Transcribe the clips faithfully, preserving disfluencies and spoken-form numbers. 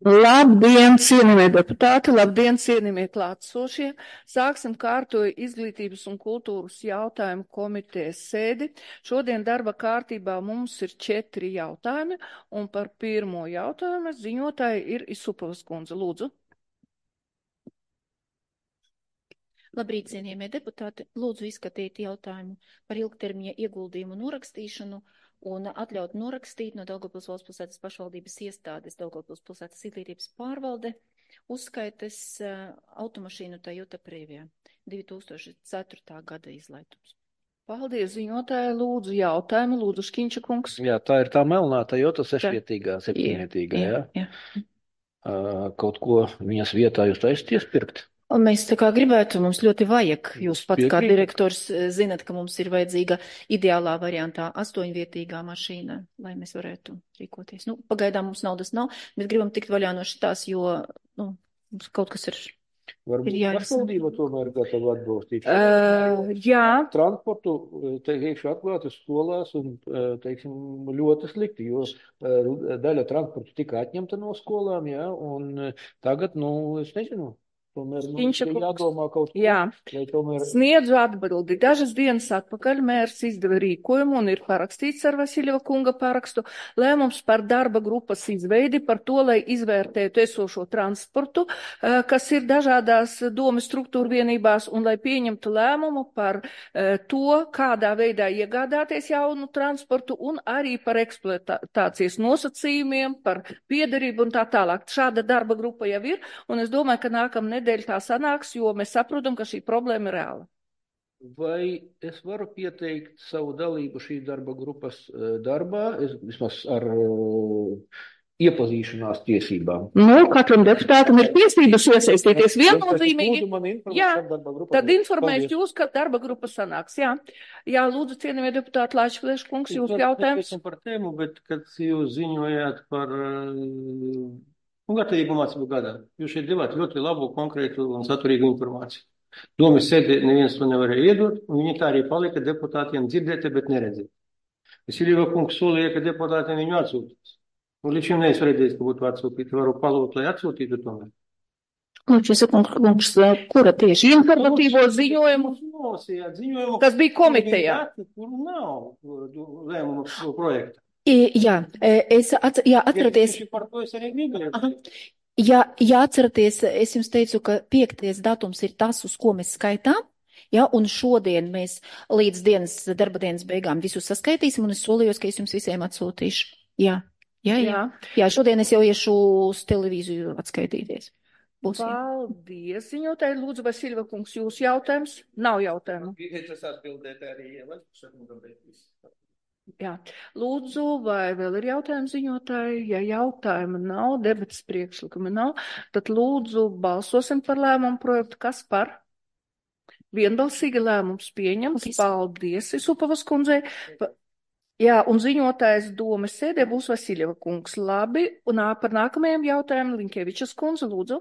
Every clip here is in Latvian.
Labdien, cienījamie deputāti, labdien, cienījamie klātsošie. Sāksim kārtoju izglītības un kultūras jautājumu komitejas sēdi. Šodien darba kārtībā mums ir četri jautājumi, un par pirmo jautājumu ziņotāja ir Isupovas kundze. Lūdzu. Labrīt, cienījamie deputāti. Lūdzu izskatīt jautājumu par ilgtermiņa ieguldījumu norakstīšanu un atļaut norakstīt no Daugavpils valsts pilsētas pašvaldības iestādes Daugavpils pilsētas izglītības pārvalde uzskaites uh, automašīnu Toyota Previa divi tūkstoši ceturtā gada izlaidums. Paldies, ziņotāja. Lūdzu jautājumu. Lūdzu, Škiņša kungs. Jā, tā ir tā melnā Toyota sešvietīgā, septiņvietīgā, jā. jā. jā. Uh, kaut ko viņas vietā jūs taisat iespirkt? Un mēs tā kā gribētu, mums ļoti vajag, jūs pats Piekrīt. kā direktors zinat, ka mums ir vajadzīga ideālā variantā astoņvietīgā mašīna, lai mēs varētu rīkoties. Nu, pagaidām mums naudas nav, mēs gribam tikt vaļā no šitās, jo, nu, mums kaut kas ir, Varbūt ir jārisina. pašvaldība tomēr gatava atbalstīt. Uh, jā. Transportu, teikšu, atklāti skolās un, teiksim, ļoti slikti, jo daļa transportu tika atņemta no skolām, jā, un tagad, nu, es nezinu. Tomēr, nu, jādomā kaut ko, jā. tomēr... Sniedzu atbildi. Dažas dienas atpakaļ mērs izdeva rīkojumu un ir parakstīts ar Vasiļeva kunga parakstu lēmums par darba grupas izveidi par to, lai izvērtētu esošo transportu, kas ir dažādās domas struktūra vienībās un lai pieņemtu lēmumu par to, kādā veidā iegādāties jaunu transportu un arī par eksploatācijas nosacījumiem, par piederību un tā tālāk. Šāda darba grupa jau ir, un es domāju, ka nākamnedēļ nedēļ tā sanāks, jo mēs saprotam, ka šī problēma ir reāla. Vai es varu pieteikt savu dalību šī darba grupas darbā, es, vismaz ar uh, iepazīšanās tiesībām? Nu, katram deputātam ir tiesības iesaistīties viennozīmīgi. Jā, tad informēšu jūs, ka darba grupa sanāks. Jā, jā lūdzu, cienījamie deputāti, Lāčplēš kungs, jūs jautājums. Par tēmu, bet kad jūs ziņojāt par... Uh, Un gatavību mācību gadā. Jūs šeit devāt ļoti labu, konkrētu un saturīgu informāciju. Domas sēdē neviens to nevarēja iedot, un viņi tā arī palika deputātiem dzirdēti, bet neredzēt. Vasiļeva kungs solīja, ka deputātiem viņu atsūtīs. Un līdz šim neesmu redzējis, ka būtu atsūtīti. Varu palūgt, lai atsūtītu tomēr. Lūdzu, kungs, kura tieši informatīvo ziņojumu, nosījāt ziņojumu, kas bija komitejā? Kur nav lēmumu projekta. Jā, es at, jā, atceraties, jā, jā, atceraties, es jums teicu, ka piektais datums ir tas, uz ko mēs skaitām, jā, un šodien mēs līdz dienas, darba dienas beigām visu saskaitīsim, un es solījos, ka es jums visiem atsūtīšu. Jā, jā, jā, jā, jā šodien es jau iešu uz televīziju atskaitīties. Būs, Paldies, ziņotāji. Lūdzu, Vasiļeva kungs, jūsu jautājums? Nav jautājumu. Es atbildēt arī, ja Jā, lūdzu, vai vēl ir jautājumi ziņotāji? Ja jautājuma nav, debatas priekšlikumi nav, tad lūdzu balsosim par lēmumu projektu. Kas par? Vienbalsīgi lēmums pieņems. Paldies, Isupovas kundzei. Jā, un ziņotājs domas sēdē būs Vasiļeva kungs. Labi, un par nākamajiem jautājumiem Linkevičas kundze, lūdzu.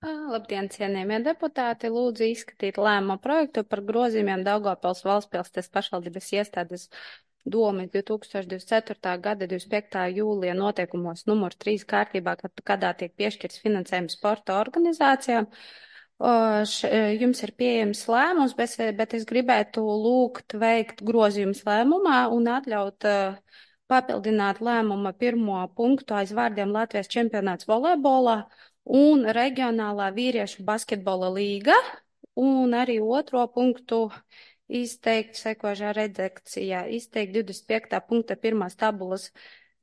Labdien, cienījamie deputāti, lūdzu izskatīt lēmumu projektu par grozījumiem Daugavpils valsts pilsētas pašvaldības iestādes domas divi tūkstoši divdesmit ceturtā gada divdesmit piektā jūlija noteikumos numur trīs kārtībā, kad, kādā tiek piešķirts finansējums sporta organizācijām. Š, jums ir pieejams lēmums, bet, bet es gribētu lūgt veikt grozījumus lēmumā un atļaut uh, papildināt lēmuma pirmo punktu aiz vārdiem Latvijas čempionāts volejbolā un reģionālā vīriešu basketbola līga, un arī otro punktu izteikt sekošā redakcijā, izteikt divdesmit piektā punkta pirmās tabulas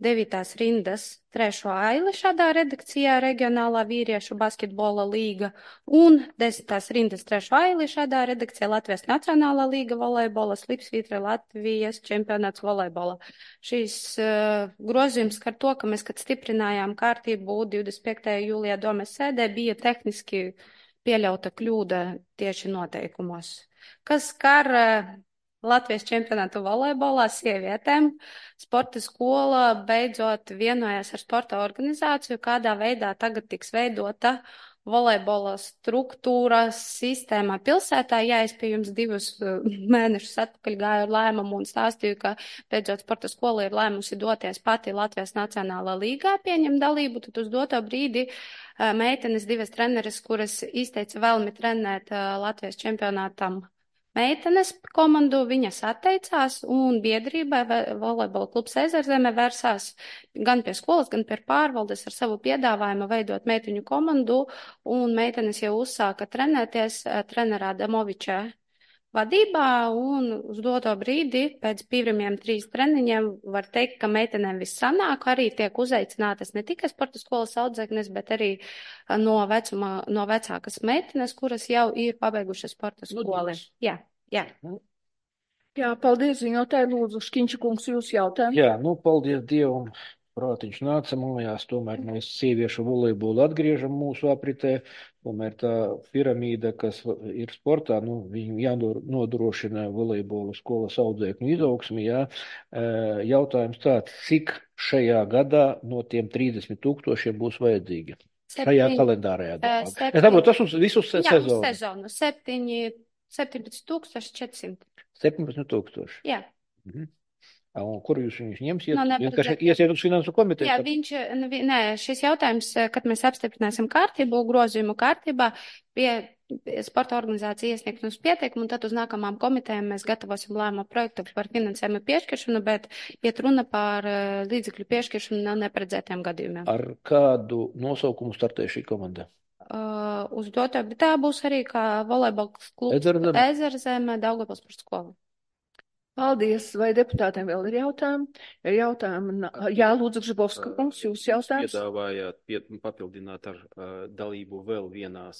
devītās rindas trešo aili šādā redakcijā reģionālā vīriešu basketbola līga, un desmitās rindas trešo aili šādā redakcijā Latvijas Nacionālā līga volejbola, slipsvītra Latvijas čempionāts volejbola. Šīs uh, grozījums skar to, ka mēs, kad stiprinājām kārtību divdesmit piektajā jūlijā domas sēdē, bija tehniski pieļauta kļūda tieši noteikumos. Kas skar uh, Latvijas čempionātu volejbolā sievietēm, sporta skola beidzot vienojās ar sporta organizāciju, kādā veidā tagad tiks veidota volejbola struktūras sistēmā pilsētā. Jā, es pie jums divus mēnešus atpakaļ gāju ar lēmumu un stāstīju, ka beidzot sporta skola ir lēmusi doties pati Latvijas Nacionālā līgā pieņem dalību, tad uz doto brīdi meitenes divas treneres, kuras izteica vēlmi trenēt Latvijas čempionātam meitenes komandu, viņas atteicās un biedrībai volejbola klubs Ezerzeme vērsās gan pie skolas, gan pie pārvaldes ar savu piedāvājumu veidot meiteņu komandu, un meitenes jau uzsāka trenēties trenerā Damoviča vadībā, un uz doto brīdi pēc pirmiem trīs treniņiem var teikt, ka meitenēm viss sanāk, arī tiek uzaicinātas ne tikai sporta skolas audzēknes, bet arī no vecuma, no vecākas meitenes, kuras jau ir pabeigušas sporta skoli. Jā, jā. Jā, paldies, ziņotāji, lūdzu, Škiņša kungs, jūs jautājums. Jā, nu, paldies Dievam. Prātiņš nāca mājās, tomēr mēs sieviešu volejbolu atgriežam mūsu apritē, tomēr tā piramīda, kas ir sportā, nu, viņi jānodrošina volejbolu skolas audzēkņu izaugsmi, jā. Jautājums tāds, cik šajā gadā no tiem trīsdesmit tūkstošiem būs vajadzīgi? Septiņi, šajā kalendārajā gadā. septiņi, Es saprotu, tas uz visus jā, sezonu. uz sezonu, septiņi, septiņpadsmit tūkstoši četrsimt. septiņpadsmit tūkstoši. Jā. Mhm. Un kur jūs viņus ņemsiet? No Vienkārši iesiet uz finansu komiteju? Jā, viņš, nē, šis jautājums, kad mēs apstiprināsim kārtību, grozījumu kārtībā, pie sporta organizācija iesniegs mums pieteikumu, un tad uz nākamām komitejām mēs gatavosim lēmumu projektu par finansējumu piešķiršanu, bet iet runa par līdzekļu piešķiršanu no neparedzētiem gadījumiem. Ar kādu nosaukumu startē šī komanda? Uh, uz doto, bet tā būs arī kā volejbols klubs Ezerzeme. Ezerzeme, Daugavpils par skolu. Paldies. Vai deputātiem vēl ir jautājumi? Ja jautājumi, jā, lūdzu, Gžibovska kungs, jūs jautājums? Piedāvājāt pie, papildināt ar uh, dalību vēl vienās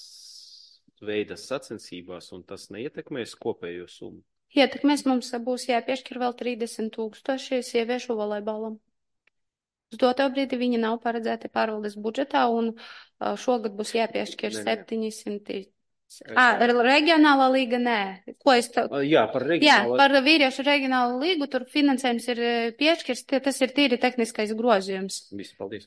veidas sacensībās, un tas neietekmēs kopējo summu? Ietekmēs, mums būs jāpiešķir vēl trīsdesmit tūkstoši sieviešu volejbolam. Uz doto brīdi viņi nav paredzēti pārvaldes budžetā, un uh, šogad būs jāpiešķir septiņi simti. À, reģionālā līga, nē. Ko es tā... Jā, par reģionālo. Jā, par vīriešu reģionālu līgu, tur finansējums ir piešķirs, tas ir tīri tehniskais grozījums. Visi, paldies.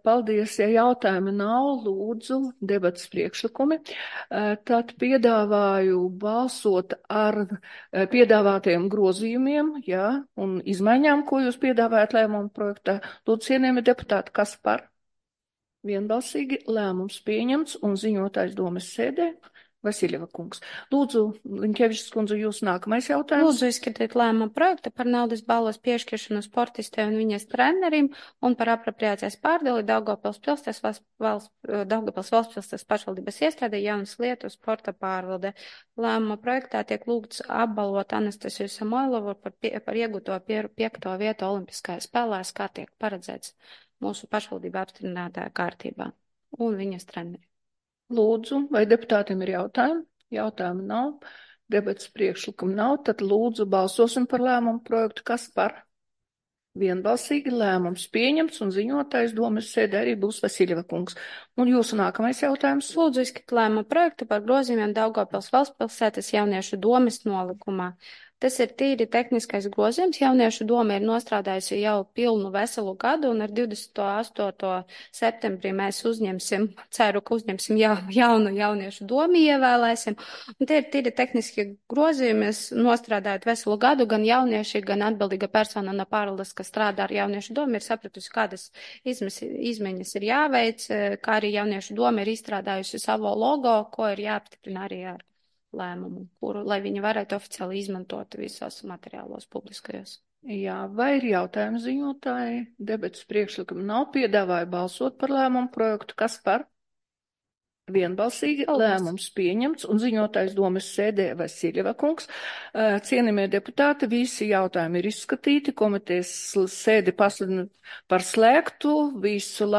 Paldies, ja jautājumi nav, lūdzu, debatas priekšlikumi. Tad piedāvāju balsot ar piedāvātajiem grozījumiem, jā, un izmaiņām, ko jūs piedāvājat lēmumu projektā. Lūdzu, cienījami deputāti, kas par? Vienbalsīgi lēmums pieņemts un ziņotājs domes sēdē Vasiljeva kungs. Lūdzu, Liņkevičs kundze, jūs nākamais jautājums. Lūdzu, izskatīt lēmumu projektu par naudas balvas piešķiršanu sportistē un viņas trenerim un par apropriācijas pārdali Daugavpils pilsētas valsts, Daugavpils valsts pilsētas pašvaldības iestādē Jaunas lietu sporta pārvalde. Lēmuma projektā tiek lūgts apbalvot Anastasiju Samoilovu par, pie, par iegūto pie, piekto vietu olimpiskajās spēlēs, kā tiek paredzēts mūsu pašvaldība apstiprinātā kārtībā un viņas treneri. Lūdzu, vai deputātiem ir jautājumi? Jautājumi nav, debats priekšlikumu nav, tad lūdzu balsosim par lēmumu projektu. Kas par? Vienbalsīgi lēmums pieņemts un ziņotājs domes sēdē arī būs Vasiljeva kungs. Un jūsu nākamais jautājums? Lūdzu, izskatīt lēmumu projektu par grozījumiem Daugavpils valsts pilsētas jauniešu domes nolikumā. Tas ir tīri tehniskais grozījums. Jauniešu doma ir nostrādājusi jau pilnu veselu gadu, un ar divdesmito astoto septembrī mēs uzņemsim, ceru, ka uzņemsim jau, jaunu jauniešu domu, ievēlēsim. Un tie ir tīri tehniski grozījumi. Mēs nostrādājot veselu gadu, gan jaunieši, gan atbildīga persona no pārvaldes, kas strādā ar jauniešu domu, ir sapratusi, kādas izmes, izmaiņas ir jāveic, kā arī jauniešu doma ir izstrādājusi savu logo, ko ir jāapstiprina arī ar lēmumu, kuru, lai viņi varētu oficiāli izmantot visos materiālos publiskajos. Jā, vai ir jautājumi ziņotāji? Debatas priekšlikumi nav, piedāvāju balsot par lēmumu projektu. Kas par? Vienbalsīgi lēmums pieņemts un ziņotājs domes sēdē Vasiljeva kungs. Cienījamie deputāti, visi jautājumi ir izskatīti, komitejas sēdi pasludina par slēgtu, visu labu.